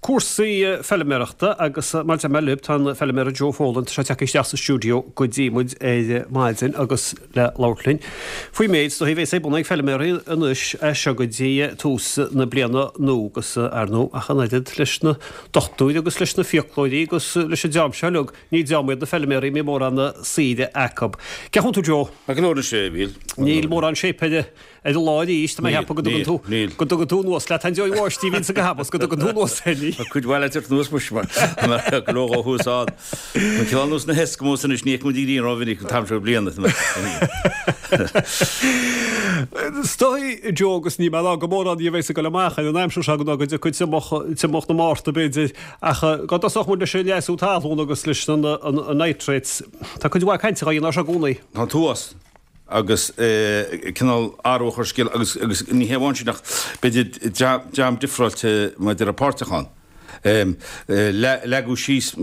Cúrsaí feilméarachta agus mar a deir mé libh, tá an feilméara Joe Folan, tá sé tagtha isteach sa stiúideo go dtí muid ar maidin agus le labhairt linn faoin méid is dóichí a bhéas ar bun ag feilméaraí anois as seo go dtí tús na bliana nua agus ar ndóigh ach an oiread leis na dochtúirí agus leis na fiaclóirí agus leis an dream seo uilig, ní dream iad na feilméaraí a mbíonn mórán saoire acu. Cén chaoi a bhfuil tú Joe? Maith go leor anois, a Mhíl. Níl mórán séip ar Ar an lá arís, tá mé ag ceapadh go dtugann tú, go dtugann tú anuas leat an deoir bháistí a bhíonns ag habas, go dtugann tú anuas é. Tá cuid mhaith le teacht anuas muis, mar go leor dhó thuas ann. An cineál nós na hEskimos anois, ní fheicimid an ghrian rómhinic an t-am seo bliana. Is dóigh, Joe, agus níl mé ag rá go mórán a bheas ag dul amach ar an aimsir seo go dtiocfaidh triomach, triomach na Márta b'fhéidir, ach go dtosódh muid leis an leasú talún agus leis an nitrates, tá cuid mhaith cainte á dhéanamh air seo i gcónaí. Tá an t-uafás. agus cineál athrú a chur ar scéal agus agus ní hé amháin sin ach b'fhéidir dream difreáilte maidir le páirteach ann. Leagadh síos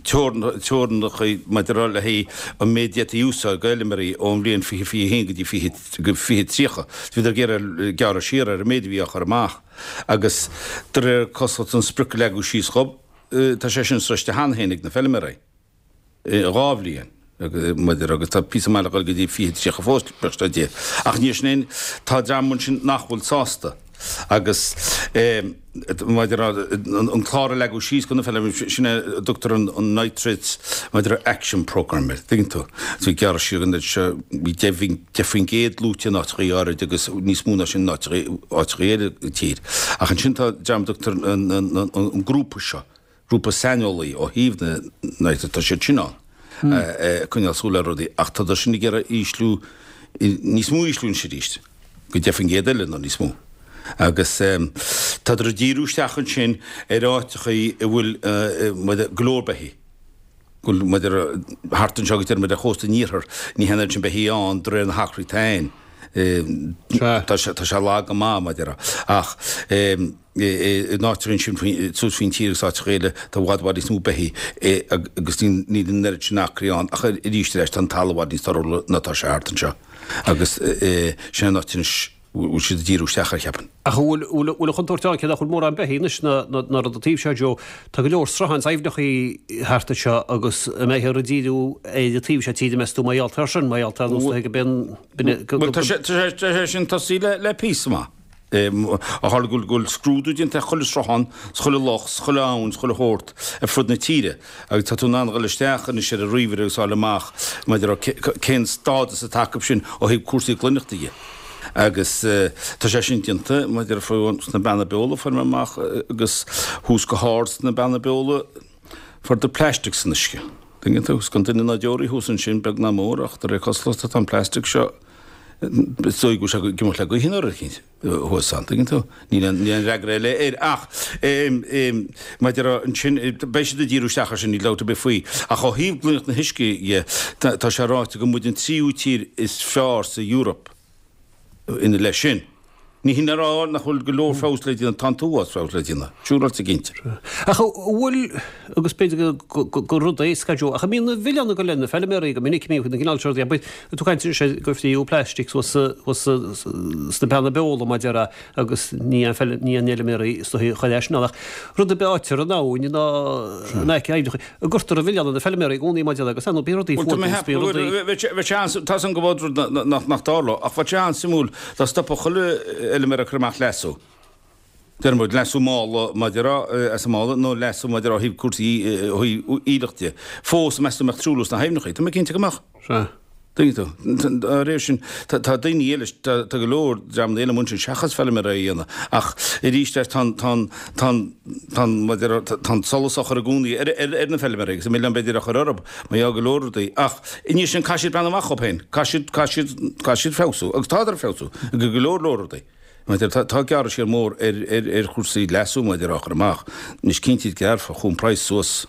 teorainneacha maidir le haghaidh an méid d'fhéadfaí a úsáid d'fheilméaraí ón bhliain 2021 go dtí 2030. Bhíodar ag iarraidh gearradh siar ar an méid a bhí á chur amach agus de réir cosúlachta an sprioc a leagadh síos dhób, tá sé sin sroiste cheana féin ag na feilméaraí. 2 bhliain maidir agus tá píosa maith le dhul go dtí 2030 fós, buíochas le Dia. Ach ní sin é, tá dream ansin nach bhfuil sásta agus maidir an clár a leagadh síos do na feilméaraí, sin é a dtugtar an Nitrates maidir Action Programme air, tuigeann tú. Bhí gearradh siar an seo, bhí 10% luaite in áiteachaí áirid agus níos mó ná sin in áiteachaí eile sa tír. Ach ansin tá dream a dtugtar an grúpa seo, grúpa saineolaí ó thaobh na nitráití, tá siad sin ann ag coinneáil súil ar rudaí ach tá sin ag iarraidh ísliú, níos mó ísliú anois arís, go 10% eile nó níos mó. Agus tádar ag díriú isteach ansin ar áiteachaí a bhfuil go leor beithígh, go bhfuil maidir thart anseo agus deir muid ar chósta an iarthair, ní hé an oiread sin beithígh ann de réir na hacraí atá ann. Tá sé lag go maith maidir ach in áiteacha ansin suas faoin tír agus áiteacha eile tá i bhfad i bhfad níos mó beithígh agus níl an oiread sin acraí ann ach arís ar ais tá an talamh i bhfad níos torthúla ná tá sé thart anseo agus sin an áit anois a bhfuil siad ag díriú isteach air cheapfainn. Ach an bhfuil bhfuil an chontúirt ann cé nach bhfuil mórán beithígh anois ná ná rud an taobh seo Joe tá go leor srutháin is aibhneachaí thart anseo agus an mbeifear ag díriú ar an taobh seo tíre meas tú mar gheall air sin mar gheall ar nós go mbíonn Bhuel tá sé sin tosaithe le píosa maith. Ó tharla go bhfuil scrúdú déanta ar chuile sruthán, 's chuile loch, 's chuile abhainn, 's chuile shórt ar fud na tíre agus tá tú in ann a dhul isteach anois ar an ríomhaire agus fháil amach maidir le cén stádas atá acu sin ó thaobh cúrsaí glaineachta dhe. Agus tá sé sin déanta maidir le sna Beanna Beola, fuair mé amach agus thuas go hard sna Beanna Beola, fuaireadar plastic san uisce. Tuigeann tú? 'S gan duine ná deoraí thuas ansin, beag ná mór, ach de réir cosúlachta tá an plastic seo, Is dóigh go bhfuil sé ag imeacht le gaoth nó rud eicínt thuas ann, tuigeann tú? Níl aon fhreagra eile air ach maidir ansin, beidh siad ag díriú isteach air sin, níl dabht ar bith faoi. Ach ó thaobh glaineacht na huisce dhe, tá sé ráite go muid an tríú tír is fearr sa Eoraip ina leith sin. Ní hin le rá nach bhfuil go leor feabhas le déanamh, tá an t-uafás feabhas le déanamh, siúráilte cinnte. Ach an bhfuil, agus b'fhéidir gur rud éasca é Joe, ach an mbíonn an milleán ag dul ar na feilméaraí go minic, mbíonn na cineál seo rudaí, abair, tú ag caint anois gur fríothadh plastic suas sna Beanna Beola mar a déarfá agus ní an fheilméaraí is dóichí a chuir é sin ann ach rud ar bith a fhaightear in abhainn ná in aice aibhneacha, An gcuirtear an milleán ar na feilméaraí i gcónaí mar a déarfá agus ar ndóigh bíonn rudaí fuar dús, bíonn rudaí. Bheadh sé an, tá 's agam go bhfad rud nach nach dtarlódh, ach bheadh sé an-suimiúil dá stopfadh chuile fheilméara ag cur amach leasú. Deir muid, leasú mála maidir as an mála nó leasú maidir ó thaobh cúrsaí ó thaobh aoileach de. Fós, meas tú an mbeadh truailliú sna haibhneacha? Tá mé cinnte go mbeadh. Sea. Tuigeann tú? Dá réir sin, tá daoine eile, tá go leor dreamanna eile amuigh ansin seachas feilméaraí a dhéanamh. Ach arís tá an, tá an, tá an, tá an, mar a déarfá, tá an solas á chur i gcónaí ar, ar, ar na feilméaraí agus an milleán b'fhéidir á chur orthu mar gheall go leor rudaí. Ach i ndiaidh sin caithfidh siad breathnú amach dhóibh féin. Caithfidh siad, caithfidh siad, caithfidh siad feabhsú agus tádar ag feabhsú i go leor leor rudaí. Mar a déarfá, tá gearradh siar mór ar, ar, ar chúrsaí leasú mar a déarfá á chur amach. Anois cinnte gearrfá chuaigh an praghas suas.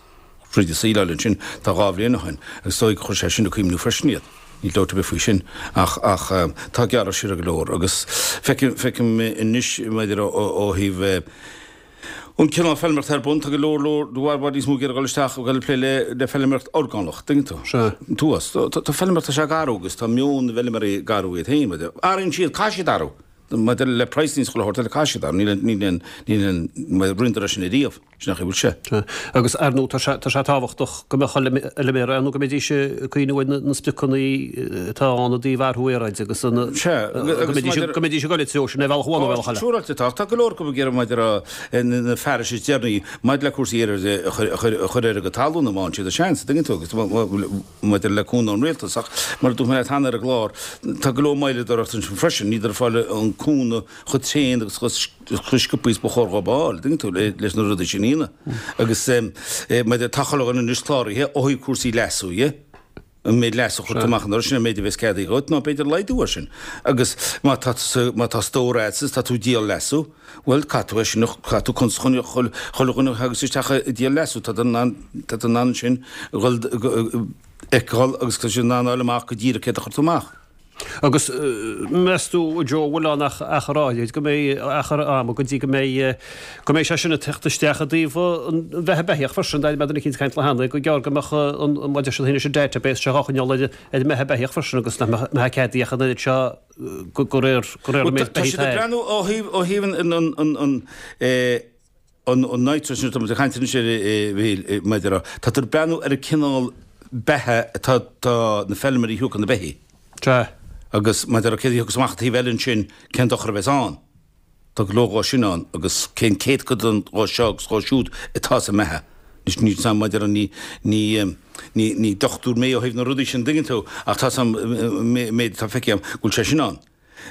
Thríd an saoileáil ansin tá 2 bhliain ó shin agus is dóigh gur chuir sé sin ag cuimhniú freisin iad. Níl dabht ar bith faoi sin ach ach tá gearradh siar ar go leor agus feicim feicim anois maidir ó ó thaobh an cineál feilméarachta ar bun tá go leor leor i bhfad bhfad níos mó ag iarraidh dul isteach ag dul ag plé le le feilméaracht orgánach tuigeann tú? Sea. Tuas. Tá feilméaracht tá sé ag athrú agus tá meon na bhfeilméaraí ag athrú iad féin. Athraíonn siad, caithfidh siad athrú. Maidir le praghas níos chuile shórt eile caithfidh siad ann, níl níl aon níl aon rinneadar é sin ariamh. Sin nach bhfuil sé. Agus, ar ndóigh, tá sé, tá sé tábhachtach go mbeadh fheilméara ann nó go mbeidís ag cuimhneamh ar na spriocanna atá ann i dtaobh athrú aeráide agus an, Sea, go mbeidís, go mbeidís ag dul i dtreo sin ar bhealach amháin nó ar bhealach eile. Siúráilte atá, ach tá go leor acu ag iarraidh maidir le na fearais is deireanaí maidir le cúrsaí aeráide a chur, a chur, a chur ar a gcuid talún má fhaigheann siad an seans, an dtuigeann tú, agus maidir le cúnamh ón rialtas. Ach mar a dúirt mé leat cheana ar an gclár, tá go leor moilleadóireachta ansin freisin, níl siad ag fáil an cúnamh chomh tréan agus chomh sciobtha is ba chóir dhóibh a fháil, dtuigeann tú, leis na rudaí sin a dhéanamh. Agus maidir, tá chuile dhuine anois cláraithe ó thaobh cúrsaí leasú dhe, an méid leasú a chuir tú amach anuraidh, sin an méid a bheas ceadaithe dhuit, nó b'fhéidir laghdú air sin. Agus má tá tú, má tá stór agat is tá tú ag díol leasú, bhuel, caithfidh tú é sin a, caithfidh tú cuntas chun chuile dhuine a thagas isteach ag díol leasú, tá tú in ann, tá tú in ann ansin dhul, fheiceáil agus tá siad in ann a fháil amach go díreach céard a chuir tú amach. Agus meas tú, a Joe, bhfuil ann ach achar áirid, go mbeidh achar ama go dtí go mbeidh, go mbeidh sé sin ag teacht isteach i dtaobh an bheatha beithíoch freisin, d'airigh mé duine eicínt ag caint le hAnna gur gearr go mbeadh an, mar a deir siad féin, an database seo á choinneáil ar an mbeatha beithíoch freisin agus nach mbeadh, mbeadh ceadaithe ach an oiread seo go, go réir, go réir an méid Tá beithígh siad ag atá air. breathnú ó thaobh, ó thaobh an, an, an, an, eh, an nitrate sin, tá muid ag caint anois air, a Mhíchíl, maidir le, tá tú ag breathnú ar an cineál beatha atá tá na feilméaraí a thiúcfaidh na beithígh. Sea. Agus maidir le céard a thiocfas amach an taobh eile ansin, cén dochar a bheas ann. Tá go leor dhó sin ann agus cén céatadán dhó seo agus dhó siúd atá sa mbeatha. Anois níl 's a'm maidir le ní, ní, ní, ní dochtúir mé ó thaobh na rudaí sin, an dtuigeann tú, ach tá 's a'm méid atá feicthe a'm go bhfuil sé sin ann.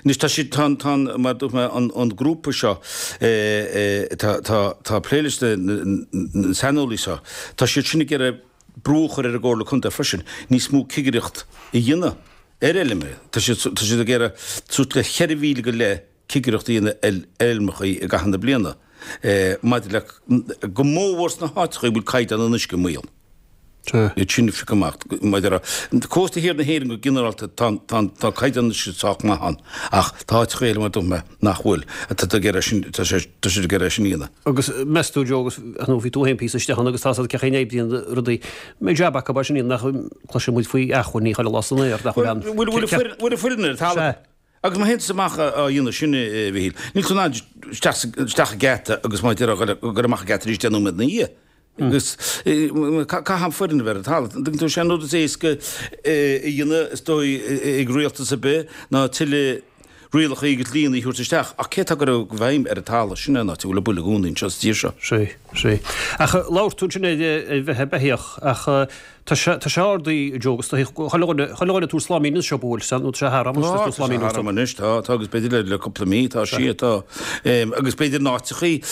Anois tá siad, tá an, tá an, mar a dúirt mé, an, an grúpa seo tá, tá, tá ag plé leis na, na saineolaí seo, tá siad sin ag iarraidh brú a chur ar an gComhairle Contae freisin níos mó cigireacht a dhéanamh ar fheilméaraí. Tá siad, tá siad ag iarraidh suas le 4,000 go leith cigireacht a dhéanamh ar fheilmeachaí i gcaitheamh na bliana maidir le, go mórmhór sna háiteacha a bhfuil caighdeán an uisce i mbaol. Iad sin a phiocadh amach. Maidir le cósta thiar na hÉireann go ginearálta tá tá caighdeán an uisce sách maith ann ach tá áiteacha eile mar a dúirt mé nach bhfuil. Tá ag iarraidh sin tá sé tá siad ag iarraidh sin a dhéanamh. Agus meas tú Joe agus ar ndóigh bhí tú féin píosa istigh ann agus tá a fhios agat cén chaoi a n-oibríonn rudaí. Mbeidh jab acu mar sin nach gcloisfidh muid faoi acmhainní chuile lá san aer nach bhfuil ann. Bhfuil bhfuil an foireann ar an talamh? Sea. Agus má théann tusa amach á dhéanamh sin, a Mhichíl, níl tú in ann isteach isteach an geata agus má deir goil amach an geata arís 10 nóiméad ina dhiaidh. Agus caithfidh an foireann a bheith ar an talamh. An dtuigeann tú, sé an rud is éasca a dhéanamh, is dóigh, ag rialtas ar bith ná tuilleadh rialacha agus dlíonna a thabhairt isteach. Ach cé atá ag cur i bhfeidhm ar an talamh? Sin é an áit a bhfuil an buille i gcónaí anseo sa tír seo. Sea, sea. Ach labhair tú ansin ar bheatha beithíoch ach tá sé, tá sé ardaithe, Joe, agus tá chuile dhuine, chuile dhuine ag tabhairt sláimín anseo bhuel, sea, nó tá sé thar am anois, tá sé thar am anois, tá, tá agus b'fhéidir le cúpla mí, tá sí, tá. Agus b'fhéidir in áiteachaí,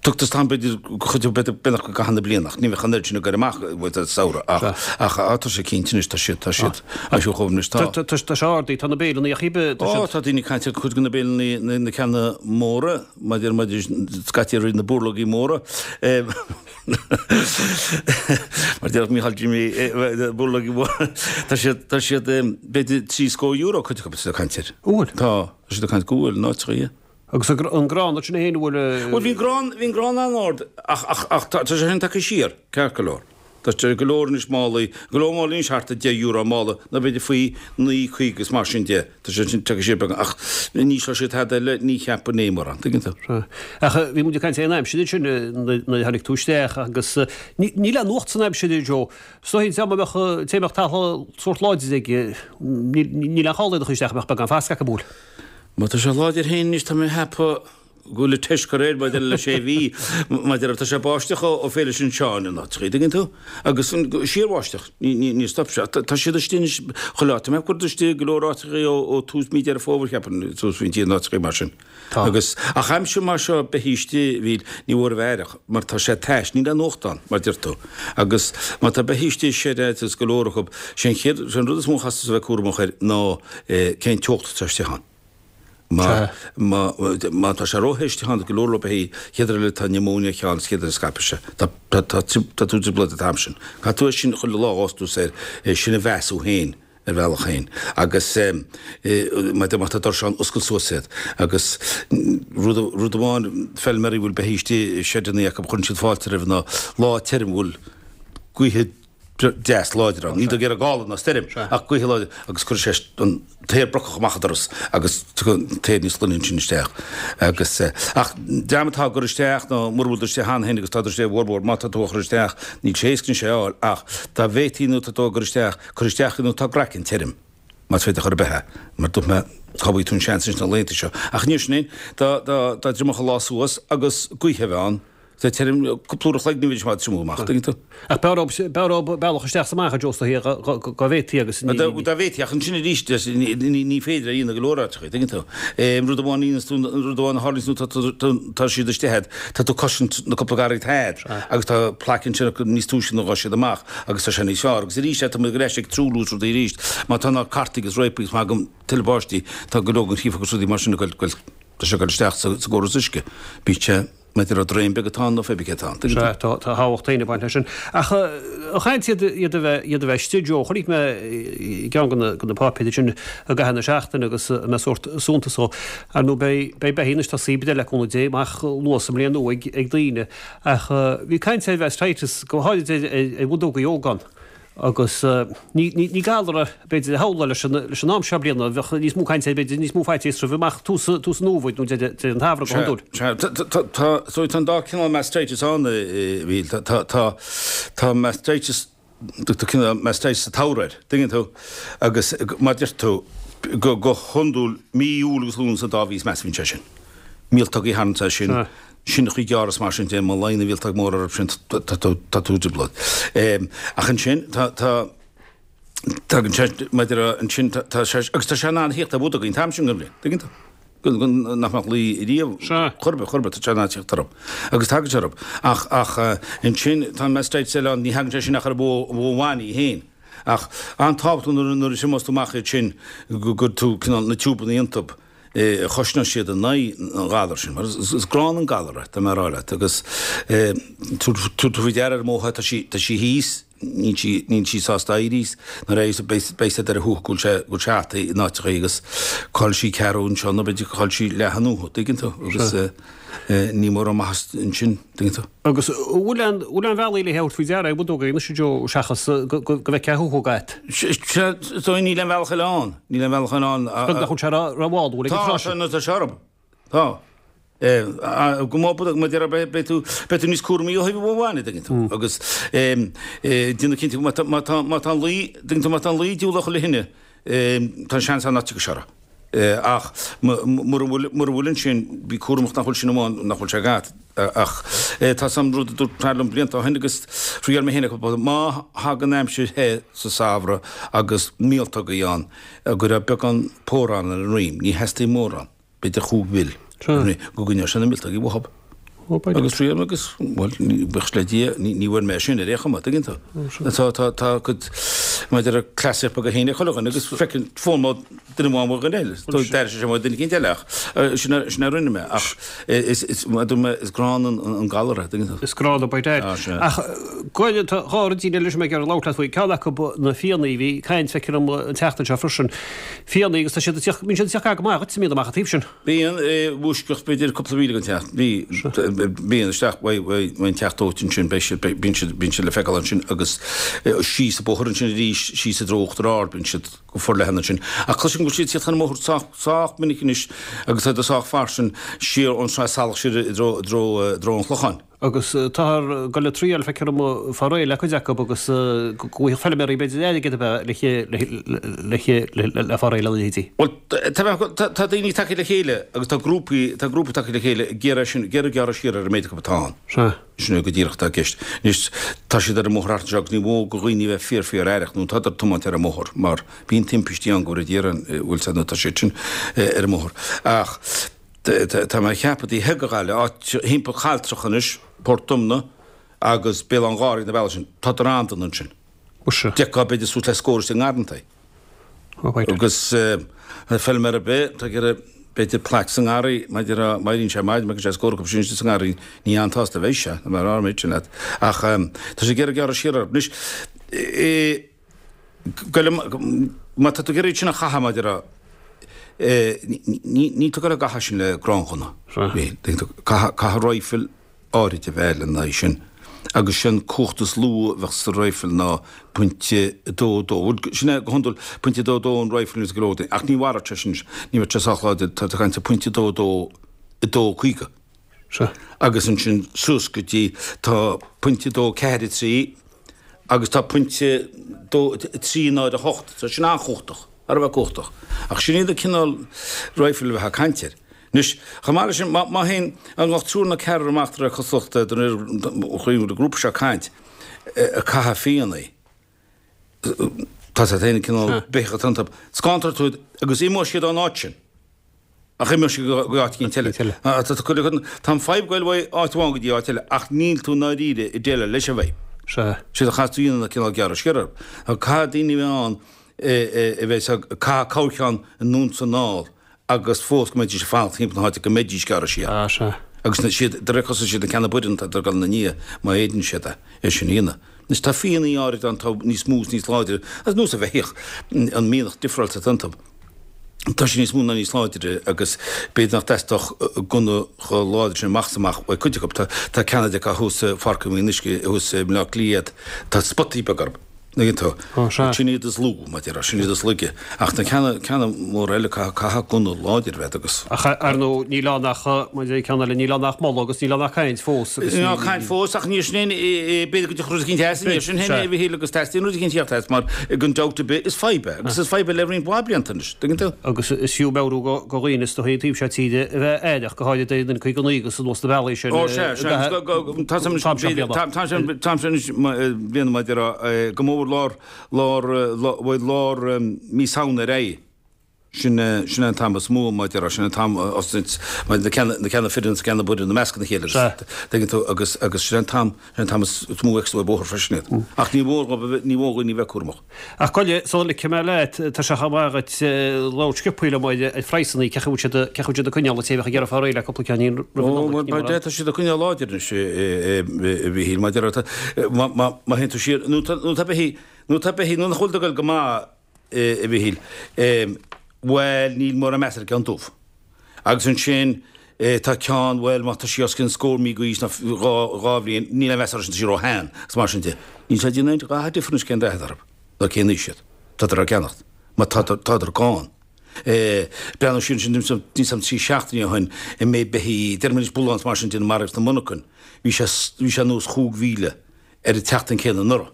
Tugtar am b'fhéidir chuid b'fhéidir beagnach i gcaitheamh na bliana ach ní bheadh an oiread sin ag goil amach sa samhradh ach ach tá sé cinnte anois tá siad tá siad á siúl chomh anois tá. Tá sé ardaithe tá na béileanna ach tá siad. Ó tá daoine ag caint ar cuid de na béileanna na na ceanna móra maidir maidir scaití ar na burlógaí móra mar déarfadh Mícheál Jimmy burlógaí móra tá siad tá siad b'fhéidir €30 cuid acu tá siad ag caint air. Bhfuil? Tá tá siad ag caint go bhfuil in áiteacha. Agus an grán sin féin, an bhfuil. Bhuel, bhí an grán, bhí an grán an-ard ach, ach, ach tá, tá sé sin tagtha siar, ceart go leor. Tá sé go leor anois málaí, go leor málaí anois thart ar €10 an mála, nó b'fhéidir faoi 9.50 is mar sin de. Tá sé sin tagtha siar beagán ach ní ísleoidh sé tada eile, ní cheapaim é mórán, tuigeann tú. Sea. Ach bhí muid ag caint ar an aimsir ansin nuair a tháinig tú isteach agus níl aon nuacht san aimsir, a Joe. Is dóigh dá mbeadh, té mbeadh talamh sórt láidir aige, níl aon chall iad a chur isteach, bheadh beagán fascadh acu, an bhfuil? Má tá sé láidir féin anois, tá mé ag ceapadh go bhfuil an teist curtha air maidir le sé mhí, maidir le, tá sé ag báisteach ó Féile San Seáin in áiteachaí, dtuigeann tú? Agus síorbháisteach, níor stop sé. Tá siad istigh anois chuile áit. Tá mé ag cur istigh go leor áiteachaí ó tús mí Deireadh Fómhair, cheapfainn, suas faoin tír in áiteachaí mar sin. Tá. Agus, ach aimsir mar seo, beithígh istigh, bhí, ní mhór a bheith aireach, mar tá sé tais, níl aon fhuacht ann, mar deir tú. Agus má tá beithígh istigh i seid agus go leor acu, sé an chéad, sé an rud is mó a chaithfeas tú a bheith cúramach air ná cén teocht atá istigh ann. Má, má, má tá sé róthe istigh ann, go leor leo beithígh, chéad rud eile tá pneumonia ann, chéad rud scaipfidh sé. Tá, tá, tá, tá tú i dtrioblóid an t-am sin. Caithfidh tú é sin chuile lá a ghabhfas tú soir, é sin a mheas thú féin ar bhealach féin. Agus má tá, má tá doirseán, oscail suas iad. Agus rud, rud amháin, feilméaraí a bhfuil beithígh istigh i seideanna acu, cuireann siad fáilte roimh ná lá tirim a bhfuil gaotha. deas láidir ann. Níl tú ag iarraidh gála ná stoirm ach gaoth láidir agus cuirfidh sé an t-aer brocach amach an doras agus tiocfaidh an t-aer níos glaine ansin isteach. Agus, ach dream atá ag cur isteach nó mura bhfuil tú istigh cheana féin agus tá tú istigh i bhformhór, má tá tú á chur isteach, níl sé éasca anois é a fháil ach dá bhféadfaí nó tá tú á gcur isteach, cuir isteach é nuair atá craiceann tirim. Más féidir chor ar bith é, mar dúirt mé, cá bhfaighidh tú an seans ins na laethanta seo. Ach níor sin é, dá, dá, dá dtriomódh an lá suas agus gaoth a bheith ann, tá tirim, cúpla uair a chloig ní bheidís maith ag triomú amach, tuigeann tú. Ach b'fhearr dhób, b'fhearr dhób bealach isteach 's amach a Joe is dóichí, dá, dá bhféadfaí agus ní, Dá, dá bhféadfaí, ach ansin arís, ní, ní, ní féidir é a dhéanamh go leor áiteachaí, tuigeann tú. Rud amháin a dhéanas tú, rud amháin a tharlaíonns nuair tá, tá, tá siad istigh a'd, tá tú ag cosaint na cúpla garraí atá a'd agus tá plaic ansin acu níos túisce ná ghabh siad amach. Agus tá sé níos fearr. Agus arís, tá muid ar ais ag truailliú is rudaí arís. Má tá na cartaí agus réapaí agus má thagann tuilleadh báistí, tá go leor den chriafar agus rudaí mar sin ag goil, tá sé ag goil isteach sa gcóras uisce. Bíonn sé, maidir le draein beag atá ann nó pé bith cé atá ann. Tuigeann tú? Sea, tá tábhacht féin ag baint leis sin. Ach ag caint iad iad a bheith iad a bheith istigh, Joe, chonaic mé i gceann de na de na páipéir sin i gcaitheamh na seachtaine agus a mbeidh sórt suntas ó. Ar ndóigh beidh beidh beithígh anois tosaithe b'fhéidir le cúnamh Dé amach luath sa mbliain nua ag ag daoine. Ach bhí caint ar mhastitis, go háirid ar bhudógaí óga agus ní galar é b'fhéidir a shamhlófá leis an am seo bliana, bheadh níos mó cainte air b'fhéidir, níos mó faitíos roimhe amach tús an fhómhair nó deireadh an tsamhraidh go hiondúil. Sea, tá, tá an dá cineál mastitis ann, a Mhíchíl. Tá, tá mastitis Tugtar cineál mastitis sa tsamhradh air, tuigeann tú, agus mar a deir tú, go hiondúil mí Iúil agus Lúnasa an dá mhí is measa a bhíonn sé sin. Míoltógaí a tharlaíonn sé sin, sineachaí gearra is mar sin de, má luíonn an mhíoltóg mór orthu sin, tá tú, tá tú i dtrioblóid. Ach ansin, tá, tá, tagann sé, maidir le, ansin, tá sé, agus tá sé in ann a thíocht ar bhudógaí an t-am sin den bhliain, tuigeann tú. Nach mbeadh luí riamh chor ar bith, chor ar bith, tá sé in ann teacht orthu. Agus tagann sé orthu. Ach, ach ansin, tá an mastitis eile ann, ní thagann sé sin ach ar an bhó, an bhó bhain í féin. Ach an-tábhachtach nuair, nuair a thriomós tú amach iad sin, go gcuir tú cineál na tiúbanna iontub, chosnóidh siad in aghaidh an ghalair sin. Mar is, is gránna an galar é, tá mé a rá leat. Agus tabhair tú faoi deara ar an mbó, tá sí, tá sí thíos, Níl sí, níl sí sásta éirí as. Nuair a éiríos beidh, beidh siad ar a shuaitheadh go bhfuil sé, go bhfuil sé ata in áiteachaí agus chaill sí ceathrú anseo nó b'fhéidir gur chaill sí leath an uatha, dtuigeann tú, agus eh, ní mórán maitheas ansin, dtuigeann tú. Agus an bhfuil aon, bhfuil aon bhealaí le thabhairt faoi deara ar bhudóga anois a Joe seachas go, go, go bhfeicfeá shuaitheadh agat? Sea, is dóigh níl aon bhealach eile ann, níl aon bhealach eile ann. Is beag nach bhfuil sé ró-mhall, bhfuil ag an Tá, tráth tá, nó tá sé orthu. Tá. Go mó mar a déarfá beidh tú beidh tú níos cúramaí ó thaobh an bhó bhain, an dtuigeann tú. Agus déanamh cinnte má tá má tá má tá an luí dtuigeann tú má tá an luí diabhalach le thine tá an seans ann nach dtiocfaidh sé orthu. Ach mura bhfuil mura bhfuil ansin bí cúramach nach bhfuil sin amháin nach bhfuil sé agat. Ach tá san rud a dúirt fear liom blianta ó shin agus thriail mé féin é má thagann aimsir the sa samhradh agus míoltógaí ann go raibh beagán pórán ar an rím, ní theastaíonn mórán. B'fhéidir chúig mhil go gcoinneodh sé na míoltógaí uathub. Agus thriail mé agus, bhuel, buíochas le Dia, ní bhfuair mé sin ar aon chuma, tuigeann tú. Tá, tá, tá cuid, maidir le cleasaíocht beaga féin ag chuile dhuine agus feiceann fón mo duine amháin uaidh dhuine eile. D'airigh sé sin uaidh duine eicínt eile ach sin a, sin a rinne mé ach is, is, mar a dúirt mé, is gránna an, an galar é, tuigeann tú. Is gránna by dad. Á, sea. Ach go, tá dhá rud eile leis mé ag iarraidh labhairt leat faoi. Ceann acu na fianna, bhí caint feictear dom an tseachtain seo freisin. Fianna agus tá siad ag tíocht, bíonn siad ag tíocht gar go maith dhuit, an mbíonn amach an taobh sin. Bíonn, i bhfoisceacht b'fhéidir cúpla míle den teach. Bhí, bíonn isteach uaidh an teach dóite ansin, beidh siad, bíonn siad, bíonn siad le feiceáil ansin agus síos an bóthar ansin arís, síos i dtreo Uachtar Ard, bíonn siad go forleathan ansin. Ach cloisim go bhfuil siad ag tíocht chun an bhóthair sách, sách minic anois agus tá siad sách fairsing siar ón Sraith Salach siar i dtreo, i dtreo, i dtreo an Chlocháin. Agus táthar ag dul ag triail, feictear dom, fáil réidh le cuid acu agus go bhfaigheadh feilméaraí b'fhéidir airgead ab ea le le fáil réidh lena leithéidí. Bhuel, tá daoine tagtha le chéile agus tá grúpaí, tá grúpaí tagtha le chéile ag iarraidh sin, ag iarraidh gearradh siar ar an méid acu atá ann. Sea. Sin é go díreach atá i gceist. Anois, tá siad ar an mbóthar thart anseo agus ní mór do dhaoine a bheith fíor fíor aireach nó tádar ag tiomáint ar an mbóthar mar bíonn timpistí ann go bhfóire Dia orainn, bhfuil a fhios agat nó tá siad sin ar an mbóthar. Ach. Tá mé ag ceapadh taobh thiar de Ghaillimh, áit thimpeall Chailltreach anois, Port Omna agus Béal Átha'n Ghaorthaidh, na bealaí sin, tádar an-dona ansin. Muise. D'fheicfeá b'fhéidir suas le scór istigh i ngarrantaí. Agus feilméara ar bith, tá ag iarraidh b'fhéidir plaic sa ngarraí, maidir a, má éiríonn sé maidin, má fheiceann sé scór acu sin istigh sa ngarraí, ní an-tsásta a bheidh sé, tá mé ag rá an méid sin leat. Ach tá sé ag iarraidh gearradh siar orthu. Anois, Má tá tú ag iarraidh sin a chaitheamh maidir a níl tú ag dul á gcaitheamh sin le gránghunna. Caithfidh raidhfil áirid a bheith lena aghaidh sin. Agus sé'n cumhacht is lú a bheadh sa raidhfil ná pointe 2, 2. Bhuel, sin é go hiondúil, pointe 2, 2 an raidhfil is go leor daoine. Ach ní mhairfeadh sé sin, ní bheadh sé sách láidir, tá tú ag caint ar pointe 2, 2, 2, 50. Sea. Agus ansin suas go dtí, tá pointe 2, 4, 3 agus tá pointe 2, 3, 0, 8. Tá sin an-chumhachtach, thar a bheith cumhachtach. Ach sin iad an cineál raidhfil a bheifeá ag caint air. Anois, chomh maith leis sin, má théann an lucht triúr nó ceathrar amach de réir cosúlachta de réir an grúpa seo ag caint, ag caitheamh fiannaí, tá siad féin cineál beithíoch atá iontu, scántar tú iad agus imeoidh siad ón áit sin. Ach imeoidh siad go áit éicint eile. Tá an fadhb ag goil ó áit amháin go dtí áit eile ach níl tú i ndáiríre ag déileáil leis an bhfadhb. Sea. Séard a chaithfeas tú a dhéanamh ná cineál gearradh siar orthu. Caithfidh daoine a bheith ann a bheith ag caitheamh corrcheann anonn is anall agus fós go mbeidís ag fanacht timpeall na háite go mbeidís gearrtha siar. Ah, sea. Agus na, siad, de réir cosúlachta siad na ceanna baineann atá ag dul ina ndiaidh má fhéadann siad é, é sin a dhéanamh. Anois tá fiannaí áirid ann atá níos mó is níos láidre, ar nós an bheithíoch, an mianach difreáilte atá iontu. Tá sé níos mó ná níos láidre agus b'fhéidir nach dteastódh gunna chomh láidir sin amach is amach uaidh cuid acu. Tá, tá ceanna de acu thuas i Pháirc an Fhionnuisce, thuas i mBleá Cliath, tá spotaí beaga orthu. Tuigeann tú? Ó, sea. Sin iad is lú, mar a déarfá, sin iad is laige. Ach na ceanna, ceanna móra eile, caithfidh, caithfidh gunna láidir a bheith agus. Ach ar ndóigh, níl ann ach, mar a deir ceann eile, níl ann ach moladh agus níl ann ach caint fós agus ní. Níl ann caint fós ach níl sin aon, b'fhéidir go dtiocfadh rud eicínt as, níl sin féin, a Mhichíl, agus teastaíonn rud eicínt theacht as mar gan dabht ar bith is fadhb é agus is fadhb é le roinnt mhaith blianta anois, tuigeann tú? Agus is fiú meabhrú do dhaoine is dóichí an taobh seo tíre a bheith aireach, go háirid ar an N59 agus anuas na bealaí sin. Ó sea, sea, agus tá sé anois bliana mar a déarfá go mór lár, lár, bhuel lár mí Samhna ar aghaidh. Sin, sin é an t-am is mó mar a déarfá, sin an t-am osnait, mar na ceanna, na ceanna fireann is na ceanna baineann ag meascadh na chéile agus, tuigeann tú, agus, agus sin é an t-am, sin é an t-am is mó a fheicfeas tú ar bóthar freisin iad. Ach ní mór dhóibh a bheith, ní mór dhaoine a bheith cúramach. Ach gabh i leith, sula ligfidh mé leat, tá sé chomh maith dhuit labhairt sciobthaí liom ar phraghsanna, cén chaoi a bhfuil siad, cén chaoi a bhfuil siad ag coinneáil an té a bheadh ag iarraidh fáil réidh le cúpla ceainnín roimh an Nollaig, ní mar. Tá siad ag coinneáil láidir anois, a Mhichíl, mar a déarfá, má théann tú siar, nó tá, nó tá beithígh, nó tá beithígh, nó nach bhfuil ag dul go maith, a Mhichíl, bhuel, níl mórán meas ar an gceann dubh. Agus ansin tá ceann, bhuel, má tá sí os cionn scór mí d'aois nó dhá bhliain, níl aon mheas uirthi sin, tá sí ró-shean agus mar sin de. Níl sé ag déanamh aon dhath difir anois cén dath atá orthu nó cén aois iad. Tádar á gceannacht mar tádar gann. Breathnú siar ansin, níl 's a'm trí seachtainí ó shin, an méid beithígh, déarfaidh muid bullán is mar sin de maraithe sna monarchain, bhí sé, bhí sé anuas chúig mhíle ar an tseachtain céanna anuraidh.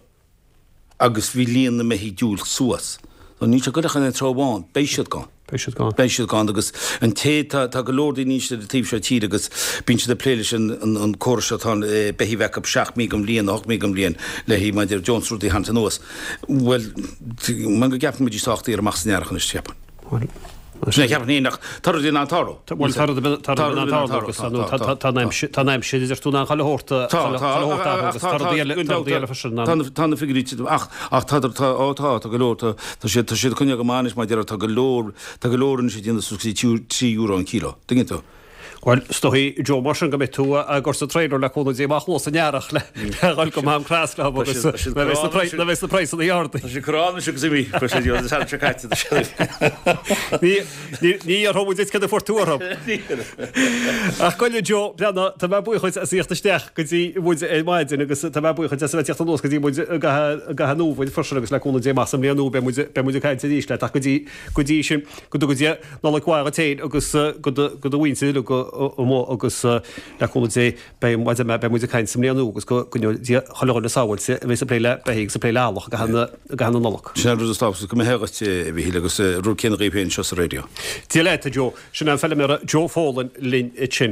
agus bhí líon na mbeithígh ag diúl suas. So níl sé ag goil ach in aon treo amháin, beidh siad gann. Beidh siad gann. Beidh siad gann agus an té, tá, tá go leor daoine anois ar an taobh seo tíre agus bíonn siad ag plé leis an, an, an córas seo atá ann, beithígh a bheith acu seacht mí den bhliain, ocht mí den bhliain le haghaidh maidir deontas rudaí a tharraingt anuas. Bhuel, man go gceapann muid sách daor amach san earrach anois, cheapfainn. Bhuel, Sin é cheapfainn féin ach tá rudaí in ann tarlú. Bhuel, tá rudaí tá rudaí in ann tarlú agus tá tá an aimsir tá an aimsir idir tú in ann chuile shórt a Tá, tá, chuile shórt athrú agus tá rudaí eile tá rudaí eile freisin in ann. Tá na figiúirí titim ach ach tá tá ó tá tá go leor tá tá siad tá siad ag coinneáil go maith anois mar a déarfá tá go leor tá go leor anois ag déanamh suas go dtí €3 an kilo. Tuigeann tú? Bhuel, is dóigh, Joe, mar sin go mbeidh tú ag cur sa trailer le cúnamh Dé amach luath san earrach le dhul go Mám Creas leo agus na bheidh na praghsanna ardaithe. Tá siad corrán anois agus imí, chuir sé an tseachtain seo caite. Ní déarfaidh muid duit cad a fuair tú orthu. Ach gabh i leith, Joe, breathnaigh, tá mé buíoch dhuit as a thíocht isteach go dtí muid ar maidin agus tá mé buíoch dhuit as a bheith ag tíocht anuas go dtí muid i gcaitheamh an fhómhair freisin agus le cúnamh Dé amach sa mbliain nua beidh muid ag caint arís leat ach go dtí sin Go dtuga Dia Nollaig mhaith dhuit féin agus go do mhuintir uilig amuigh agus le cúnamh Dé beidh muid beidh muid ag caint sa mbliain nua agus go gcoinneoidh Dia chuile dhuine sábháilte a bheas ag plé le beithígh agus ag plé le eallach i gcaitheamh na Nollag. Sin an rud is tábhachtaí, go mbeidh a dhuit, a Mhichíl, agus an rud céanna dhaoibh féin anseo sa raidió. Dia leat, a Joe. Sin an feilméara Joe Folan linn ansin.